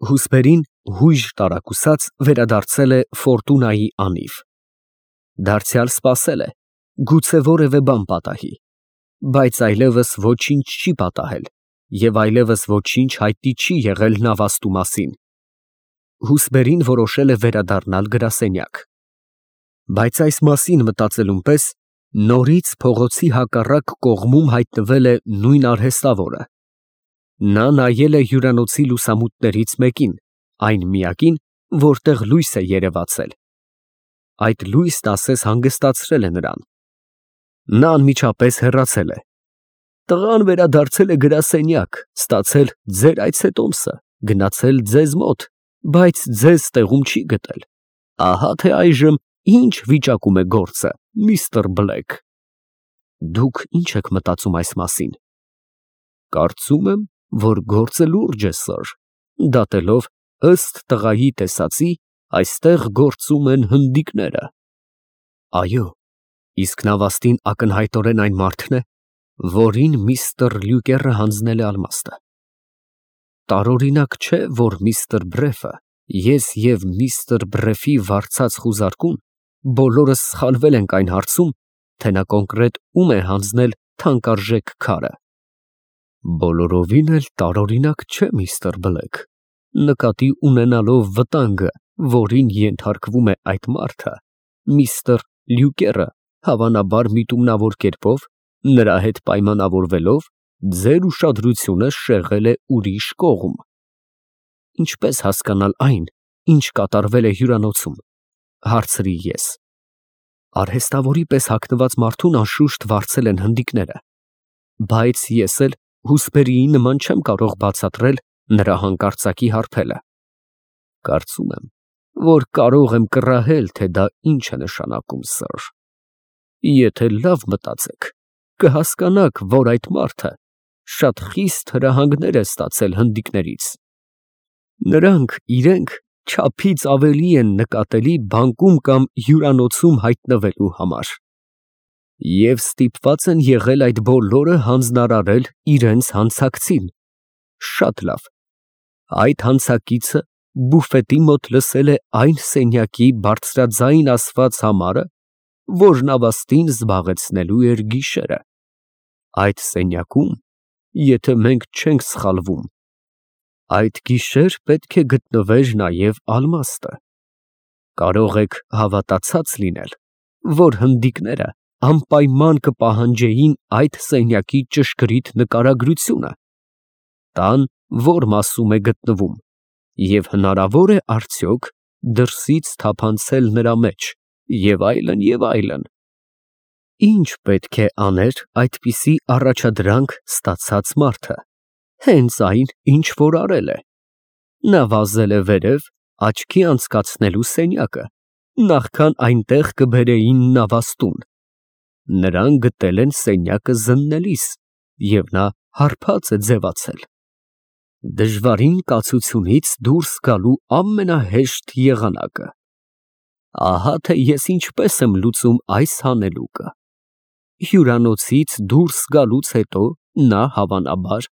Հուսպերին հույժ տարակուսած վերադարձել է Ֆորտունայի անիվ։ Դարձյալ սպասել է, գուցե որևէ բան պատահի, բայց այլևս ոչինչ չի պատահել և այլևս ոչինչ հայտնի չի եղել նավաստու մասին։ Հուսպերին որոշել է վերադառնալ գրասենյակ։ Բայց այս մասին մտածելուն պես նորից փողոցի հակառակ կողմում հայտնվել է նույն արհեստավորը։ Նա նայել է հյուրանոցի լուսամուտներից մեկին, այն միակին, որտեղ լույս է երևացել։ Այդ լույսն ասես հանգստացրել է նրան։ Նա անմիջապես հեռացել է։ Տղան վերադարձել է գրասենյակ, ստացել ձեր այցետոմսը, գնացել ձեզ մոտ, բայց ձեզ տեղում չի գտել։ Ահա թե այժմ ինչ վիճակում է գործը, միստր Բլեք։ Դուք ի՞նչ եք մտածում այս մասին։ Կարծում եմ, որ գործը լուրջ է, սըր, դատելով ըստ տղայի տեսածի, այստեղ գործում են հնդիկները։ Այո, իսկ նավաստին ակնհայտորեն այն մարդն է, որին միստր Լյուկերը հանձնել է ալմաստը։ Տարօրինակ չէ, որ միստր Բրեֆը, ես և միստր Բրեֆի վարձած խուզարկուն բոլորս սխալվել ենք այն հարցում, թե նա կոնկրետ ում է հանձնել թանկարժեք քարը։ Բոլորովին էլ տարօրինակ չէ, միստր Բլեք, նկատի ունենալով վտանգը, որին ենթարկվում է այդ մարդը, միստր Լյուկերը, հավանաբար միտումնավոր կերպով, նրա հետ պայմանավորվելով, ձեր ուշադրությունը շեղել է ուրիշ կողմ։ Ինչպես հասկանալ այն, ինչ կատարվել է հյուրանոցում, հարցրի ես։ Արհեստավորի պես հագնված մարդուն անշուշտ վարձել են հնդիկները, բայց ես էլ Հուսպերիի նման չեմ կարող բացատրել նրա հանկարծակի հարբելը։ Կարծում եմ, որ կարող եմ կռահել, թե դա ինչ է նշանակում, սըր։ Եթե լավ մտածեք, կհասկանաք, որ այդ մարդը շատ խիստ հրահանգներ է ստացել հնդիկներից։ Նրանք իրենք չափից ավելի են նկատելի բանկում կամ հյուրանոցում հայտնվելու համար, և ստիպված են եղել այդ բոլորը հանձնարարել իրենց հանցակցին։ Շատ լավ, այդ հանցակիցը բուֆետի մոտ լսել է այն սենյակի բարձրաձայն ասված համարը, որ նավաստին զբաղեցնելու էր գիշերը։ Այդ սենյակում, եթե մենք չենք սխալվում, այդ գիշեր պետք է գտնվեր նաև ալմաստը։ Կարող եք հավատացած լինել, որ հնդիկները անպայման կպահանջեին այդ սենյակի ճշգրիտ նկարագրությունը, տան որ մասում է գտնվում, և հնարավոր է արդյոք դրսից թափանցել նրա մեջ, և այլն, և այլն։ Ինչ պետք է աներ այդպիսի առաջադրանք ստացած մարդը։ Հենց այն, ինչ որ արել է։ Նա վազել է վերև աչքի անցկացնելու սենյակը, նախքան այնտեղ կբերեին նավաստուն։ Նրան գտել են սենյակը զննելիս, և նա հարբած է ձևացել։ Դժվարին կացությունից դուրս գալու ամենահեշտ եղանակը։ Ահա թե ես ինչպես եմ լուծում այս հանելուկը։ Հյուրանոցից դուրս գալուց հետո նա հավանաբար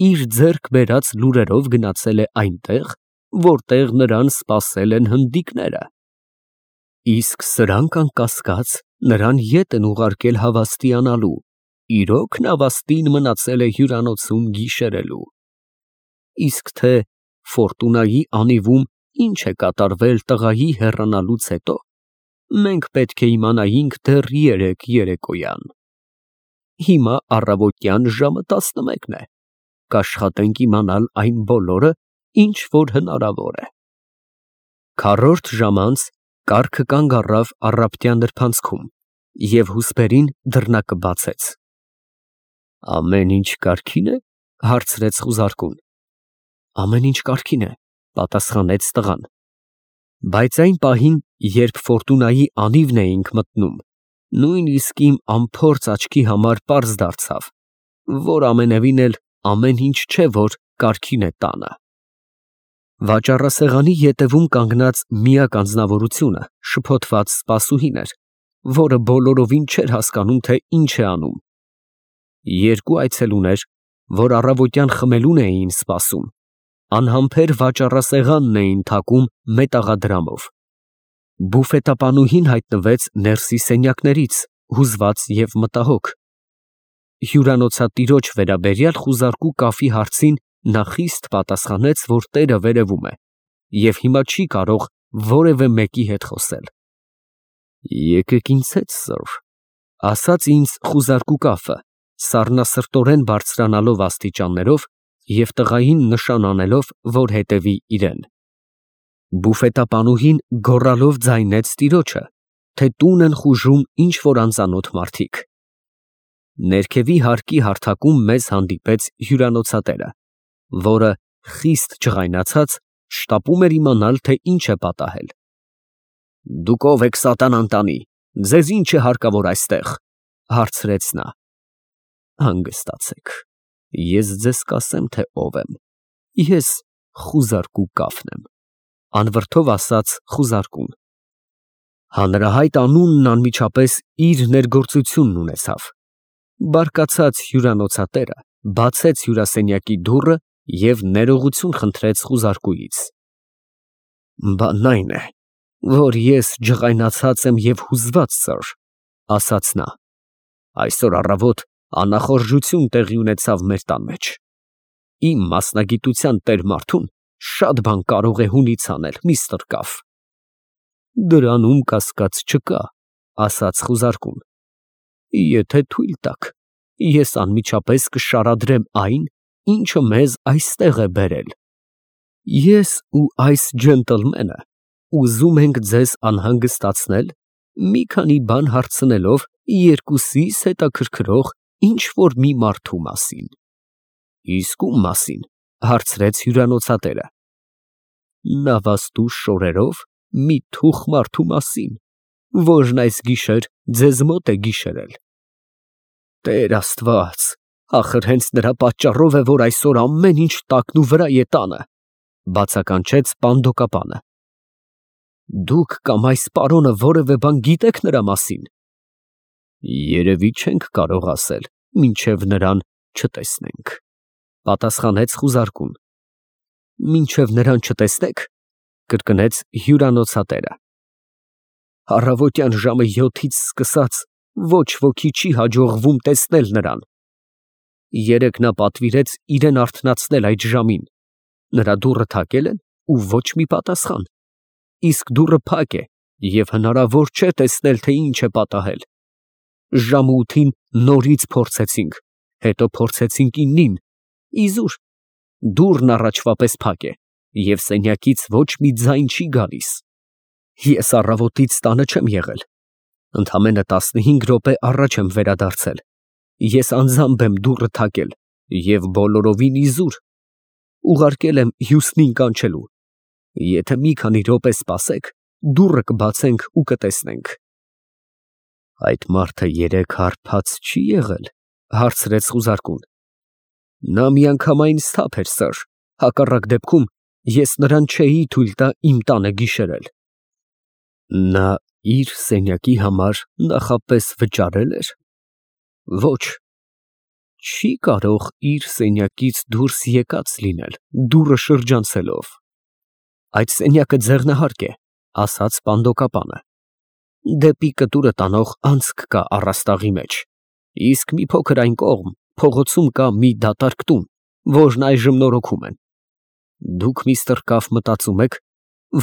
իր ձեռք բերած լուրերով գնացել է այնտեղ, որտեղ նրան սպասել են հնդիկները։ Իսկ սրանք անկասկած նրան ետ են ուղարկել հավաստիանալու, իրոք նավաստին մնացել է հյուրանոցում գիշերելու։ Իսկ թե Ֆորտունայի անիվում ինչ է կատարվել տղայի հեռանալուց հետո, մենք պետք է իմանայինք դեռ երեկոյան։ Հիմա առավոտյան ժամը 11 է, կաշխատենք իմանալ այն բոլորը, ինչ որ հնարավոր է։ Քառորդ ժամ անց կառքը կանգ առավ առավոտյան նրբանցքում, և Հուսպերին դռնակը բացեց։ Ամեն ինչ կարգի՞ն է, հարցրեց խուզարկուն։ Ամեն ինչ կարգին է, պատասխանեց տղան։ Բայց այն պահին, երբ Ֆորտունայի անիվն էինք մտնում, նույնիսկ իմ անփորձ աչքի համար պարզ դարձավ, որ ամենևին էլ ամեն ինչ չէ, որ կարգին է տանը։ Վաճառասեղանի ետևում կանգնած միակ անձնավորությունը շփոթված սպասուհին էր, որը բոլորովին չէր հասկանում, թե ինչ է անում։ Երկու այցելուներ, որ առավոտյան խմելուն էին սպասում, Անհամբեր վաճառասեղանն էին թակում մետաղադրամով։ Բուֆետապանուհին հայտնվեց ներսի սենյակներից, հուզված և մտահոգ։ Հյուրանոցատիրոջ վերաբերյալ խուզարկու կաֆի հարցին նա խիստ պատասխանեց, որ տերը վերևում է և հիմա չի կարող որևէ մեկի հետ խոսել։ «Եկեք ինձ հետ, սըր», ասաց ինձ խուզարկու կաֆը, սառնասրտորեն բարձրանալով աստիճաններով և տղային նշան անելով, որ հետևի իրեն։ Բուֆետապանուհին գոռալով ձայնեց տիրոջը, թե տուն են խուժում ինչ֊որ անծանոթ մարդիկ։ Ներքևի հարկի հարթակում մեզ հանդիպեց հյուրանոցատերը, որը, խիստ ջղայնացած, շտապում էր իմանալ, թե ինչ է պատահել։ «Դուք ո՞վ եք, սատանան տանի, ձեզ ի՞նչ է հարկավոր այստեղ», հարցրեց նա։ «Հանգստացեք, ես ձեզ կասեմ, թե ով եմ, ես խուզարկու կաֆն եմ», անվրդով ասաց խուզարկուն։ Հանրահայտ անունն անմիջապես իր ներգործությունն ունեցավ։ Բարկացած հյուրանոցատերը բացեց հյուրասենյակի դուռը և ներողություն խնդրեց խուզարկուից։ «Բանն այն է, որ ես ջղայնացած եմ և հուզված, սըր», ասաց նա։ «Այսօր առավոտ անախորժություն տեղի ունեցավ մեր տան մեջ։ Իմ մասնագիտության տեր մարդուն շատ բան կարող է հունից անել, միստր Կաֆ»։ «Դրանում կասկած չկա», ասաց խուզարկուն։ «Եթե թույլ տաք, ես անմիջապես կշարադրեմ այն, ինչը մեզ այստեղ է բերել։ Ես ու այս ջենտլմենը ուզում ենք ձեզ անհանգստացնել մի քանի բան հարցնելով երկուսիս հետաքրքրող ինչ֊որ մի մարդու մասին»։ «Իսկ ում մասին», հարցրեց հյուրանոցատերը։ «Նավաստու շորերով մի թուխ մարդու մասին, որն այս գիշեր ձեզ մոտ է գիշերել»։ «Տեր Աստված, ախր հենց նրա պատճառով է, որ այսօր ամեն ինչ տակնուվրա է տանը», բացականչեց պանդոկապանը։ «Դուք կամ այս պարոնը որևէ բան գիտեք նրա մասին»։ «Երևի չենք կարող ասել, մինչև նրան չտեսնենք», պատասխանեց խուզարկուն։ «Մինչև նրան չտեսնեք», կրկնեց հյուրանոցատերը։ «Առավոտյան ժամը 7-ից սկսած ոչ ոքի չի հաջողվում տեսնել նրան։ Երեկ նա պատվիրեց իրեն արթնացնել այդ ժամին, նրա դուռը թակել են ու ոչ մի պատասխան, իսկ դուռը փակ է և հնարավոր չէ տեսնել, թե ինչ է պատահել։ Ժամը 8-ին նորից փորձեցինք, հետո փորձեցինք 9-ին, իզուր, դուռն առաջվա պես փակ է և սենյակից ոչ մի ձայն չի գալիս։ Ես առավոտից տանը չեմ եղել, ընդամենը 15 րոպե առաջ եմ վերադարձել։ Ես անձամբ եմ դուռը թակել և բոլորովին իզուր, ուղարկել եմ հյուսնին կանչելու։ Եթե մի քանի րոպե սպասեք, դուռը կբացենք ու կտեսնենք»։ «Այդ մարդը երեկ հարբած չի եղել», հարցրեց խուզարկուն։ «Նա միանգամայն սթափ էր, սըր, հակառակ դեպքում ես նրան չէի թույլ տա իմ տանը գիշերել»։ «Նա իր սենյակի համար նախապես վճարել էր»։ «Ոչ, չի կարող իր սենյակից դուրս եկած լինել, դուռը շրջանցելով»։ «Այդ սենյակը ձեղնահարկ է», ասաց պանդոկապանը։ «Դեպի կտուրը տանող անցք կա առաստաղի մեջ, իսկ մի փոքր այն կողմ փողոցում կա մի դատարկ տուն, որն այժմ նորոգում են։ Դուք, միստր Կաֆ, մտածում եք,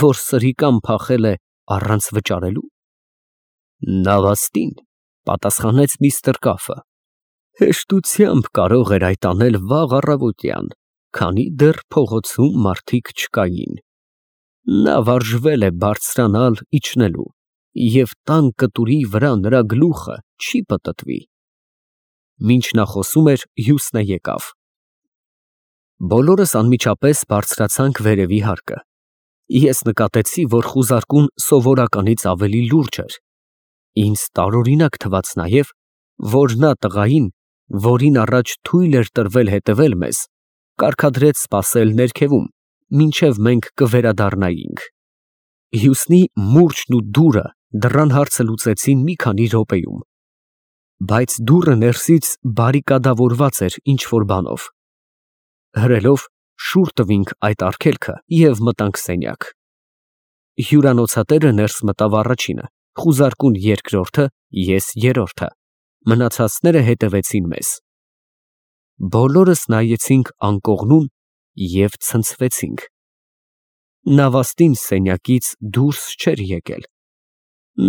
որ սրիկան փախել է առանց վճարելու»։ «Նավաստին», պատասխանեց միստր Կաֆը, «հեշտությամբ կարող էր այդ անել վաղ առավոտյան, քանի դեռ փողոցում մարդիկ չկային։ Նա վարժվել է բարձրանալ իջնելու, և տան կտուրի վրա նրա գլուխը չի պտտվի»։ Մինչ նա խոսում էր, հյուսնը եկավ։ Բոլորս անմիջապես բարձրացանք վերևի հարկը։ Ես նկատեցի, որ խուզարկուն սովորականից ավելի լուրջ էր։ Ինձ տարօրինակ թվաց նաև, որ նա տղային, որին առաջ թույլ էր տրվել հետևել մեզ, կարգադրեց սպասել ներքևում, մինչև մենք կվերադառնայինք։ Հյուսնի մուրճն ու դուռը դռան հարցը լուծեցին մի քանի րոպեում, բայց դուռը ներսից բարիկադավորված էր ինչ֊որ բանով։ Հրելով շուռ տվինք այդ արգելքը և մտանք սենյակ։ Հյուրանոցատերը ներս մտավ առաջինը, խուզարկուն երկրորդը, ես երրորդը, մնացածները հետևեցին մեզ։ Բոլորս նայեցինք անկողնուն և ցնցվեցինք։ Նավաստին սենյակից դուրս չէր եկել։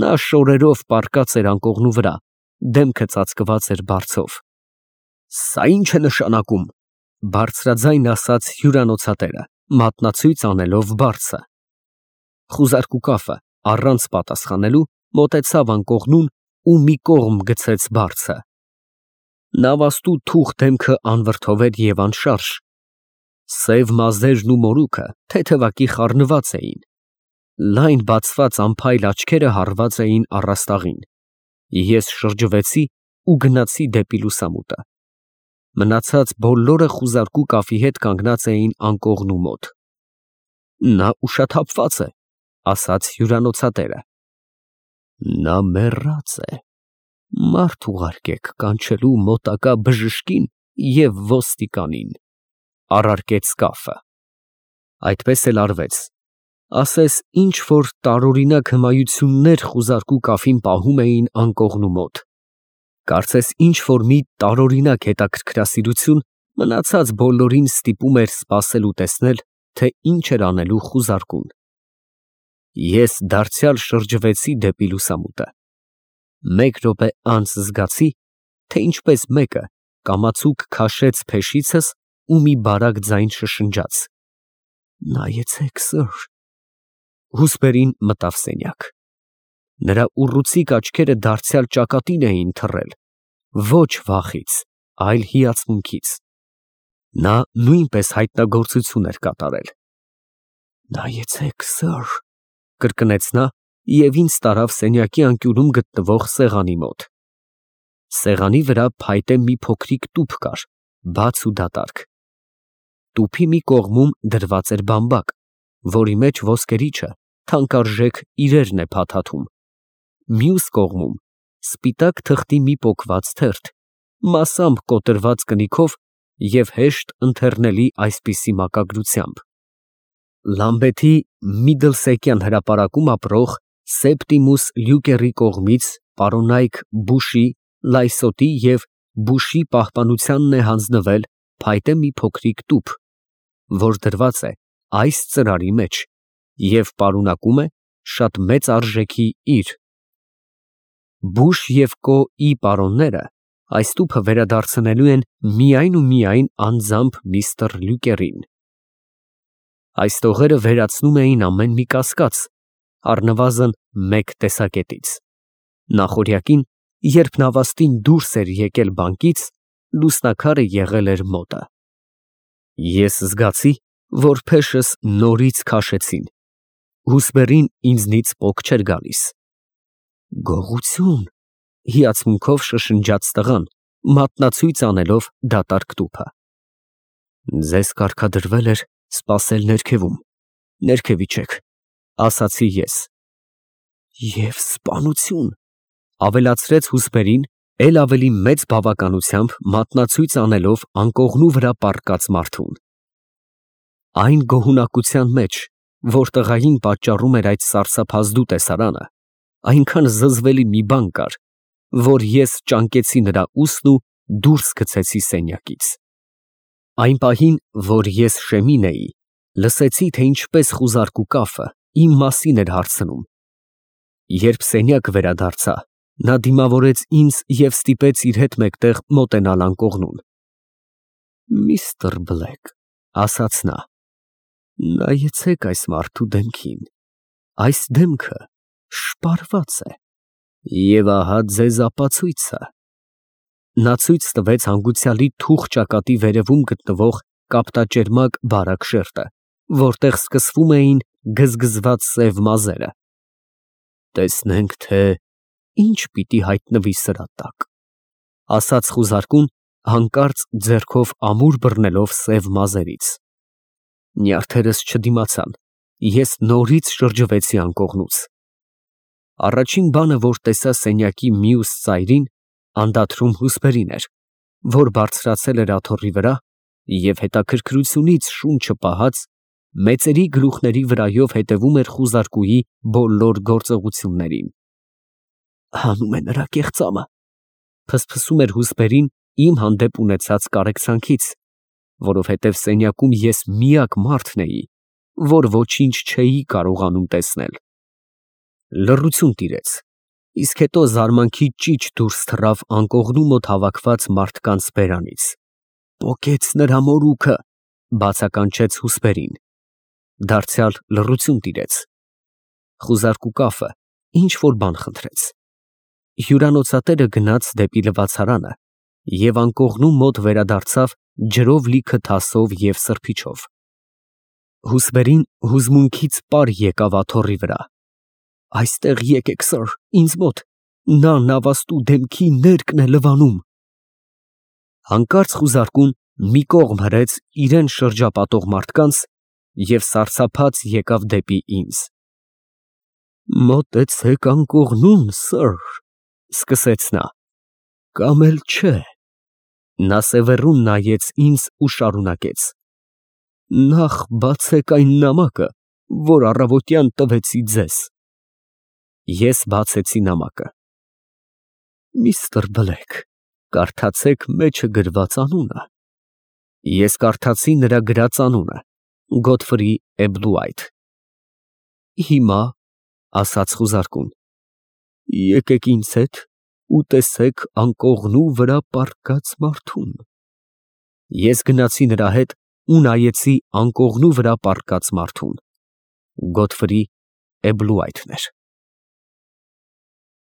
Նա շորերով պառկած էր անկողնու վրա, դեմքը ծածկված էր բարձով։ «Սա ի՞նչ է նշանակում», բարձրաձայն ասաց հյուրանոցատերը, մատնացույց անելով բարձը։ Խուզարկու կապը, առանց պատասխանելու, մոտեցավ անկողնուն ու մի կողմ գցեց բարձը։ Նավաստու թուխ դեմքը անվրդով էր և անշարժ։ Սև մազերն ու մորուքը թեթևակի խառնված էին։ Լայն բացված անփայլ աչքերը հառված էին առաստաղին։ Ես շրջվեցի ու գնացի դեպի լուսամուտը։ Մնացած բոլորը խուզարկու կապի հետ կանգնած էին անկողնու մոտ։ «Նա ուշաթափված է», ասաց հյուրանոցատերը։ «Նա մեռած է, մարդ ուղարկեք կանչելու մոտակա բժշկին և ոստիկանին», առարկեց կապը։ Այդպես էլ արվեց։ Ասես ինչ֊որ տարօրինակ հմայություններ խուզարկու կապին պահում էին անկողնու մոտ։ Կարծես ինչ֊որ մի տարօրինակ հետաքրքրասիրություն մնացած բոլորին ստիպում էր սպասել ու տեսնել, թե ինչ էր անելու խուզարկուն։ Ես դարձյալ շրջվեցի դեպի լուսամուտը։ Մեկ րոպե անց զգացի, թե ինչպես մեկը կամացուկ քաշեց փեշիցս ու մի բարակ ձայն շշնջաց. «Նայեցեք, սըր»։ Հուսպերին մտավ սենյակ։ Նրա ուռուցիկ աչքերը դարձյալ ճակատին էին թռել, ոչ վախից, այլ հիացմունքից։ Նա նույնպես հայտնագործություն էր կատարել։ «Նայեցեք, սըր», կրկնեց նա և ինձ տարավ սենյակի անկյունում գտնվող սեղանի մոտ։ Սեղանի վրա փայտե մի փոքրիկ տուփ կար, բաց ու դատարկ։ Տուփի մի կողմում դրված էր բամբակ, որի մեջ ոսկերիչը թանկարժեք իրերն է փաթաթում, մյուս կողմում սպիտակ թղթի մի պոկված թերթ, մասամբ կոտրված կնիքով և հեշտ ընթեռնելի այսպիսի մակագրությամբ. «Լամբեթի Միդլսեկյան հրապարակում ապրող Սեպտիմուս Լյուկերի կողմից պարոնայք Բուշի, Լայսոտի և Բուշի պահպանությանն է հանձնվել փայտե մի փոքրիկ տուփ, որ դրված է այս ծրարի մեջ և պարունակում է շատ մեծ արժեքի իր։ Բուշ և Կո֊ի պարոնները այս տուփը վերադարձնելու են միայն ու միայն անձամբ միստր Լյուկերին»։ Այս տողերը վերացնում էին ամեն մի կասկած, առնվազն մեկ տեսակետից։ Նախօրյակին, երբ նավաստին դուրս էր եկել բանկից, լուսնակարը եղել էր մոտը։ Ես զգացի, որ փեշս նորից քաշեցին։ Հուսպերին ինձնից պոկ չէր գալիս։ «Գողություն», հիացմունքով շշնջաց տղան, մատնացույց անելով դատարկ տուփը։ «Ձեզ կարգադրվել էր սպասել ներքևում, ներքև իջեք», ասացի ես։ «Եվ սպանություն», ավելացրեց հուսպերին, էլ ավելի մեծ բավականությամբ մատնացույց անելով անկողնու վրա պառկած մարդուն։ Այն գոհունակության մեջ, որ տղային պատճառում էր այդ սարսափազդու տեսարանը, այնքան զզվելի մի բան կար, որ ես ճանկեցի նրա ուսն ու դուրս գցեցի սենյակից։ Այն պահին, որ ես շեմին էի, լսեցի, թե ինչպես խուզարկու կապը իմ մասին էր հարցնում։ Երբ սենյակ վերադարձա, նա դիմավորեց ինձ և ստիպեց իր հետ մեկտեղ մոտենալ անկողնուն։ «Միստր Բլեկ», ասաց նա, «նայեցեք այս մարդու դեմքին, այս դեմքը շպարված է, և ահա ձեզ ապացույցը»։ Նա ցույց տվեց հանգուցյալի թուխ ճակատի վերևում գտնվող կապտաճերմակ բարակ շերտը, որտեղ սկսվում էին գզգզված սև մազերը։ «Տեսնենք, թե ինչ պիտի հայտնվի սրա տակ», ասաց խուզարկուն, հանկարծ ձեռքով ամուր բռնելով սև մազերից։ Նյարդերս չդիմացան, ես նորից շրջվեցի անկողնուց։ Առաջին բանը, որ տեսա սենյակի մյուս ծայրին, անդադրում հուսպերին էր, որ բարձրացել էր աթոռի վրա Եվ հետաքրքրությունից շունչը պահած, մեծերի գլուխների վրայով հետևում էր խուզարկուի բոլոր գործողություններին։ Հանում է նրա կեղծամը, փսփսում էր հուսպերին իմ հանդեպ ունեցած կարեկցանքից, որովհետև սենյակում ես միակ մարդն էի, որ ոչինչ չէի կարողանում տեսնել։ Լռություն տիրեց, իսկ հետո զարմանքի ճիչ դուրս թռավ անկողնու մոտ հավաքված մարդկանց բերանից։ Պոկեց նրա մորուքը, բացականչեց հուսպերին։ Դարձյալ լռություն տիրեց։ Խուզարկու կաֆը ինչ որ բան խնդրեց։ Հյուրանոցատերը գնաց դեպի լվացարանը և անկողնու մոտ վերադարձավ ջրով լիքը թասով և սրբիչով։ Հուսպերին հուզմունքից պար եկավ աթոռի վրա։ Այստեղ եկեք, սըր, ինձ մոտ, նա նավաստու դեմքի ներկն է լվանում։ Հանկարծ խուզարկուն մի կողմ հրեց իրան շրջապատող մարդկանց և սարսափած եկավ դեպի ինձ։ Մոտեցեք անկողնուն, սըր, սկսեց նա, կամ էլ չէ։ Նա սևեռուն նայեց ինձ ու շարունակեց. Նախ բացեք այն նամակը, որ առավոտյան տվեցի ձեզ։ Ես բացեցի նամակը։ Միստր Բլեկ, կարդացեք մեջը գրված անունը։ Ես կարդացի նրա գրած անունը՝ Գոթֆրի Էբլուայթ։ Հիմա, ասաց խուզարկուն, եկեք ինձ հետ ու տեսեք անկողնու վրա պառկած մարդուն։ Ես գնացի նրա հետ ու նայեցի անկողնու վրա պառկած մարդուն։ Գոթֆրի Էբլուայթն էր։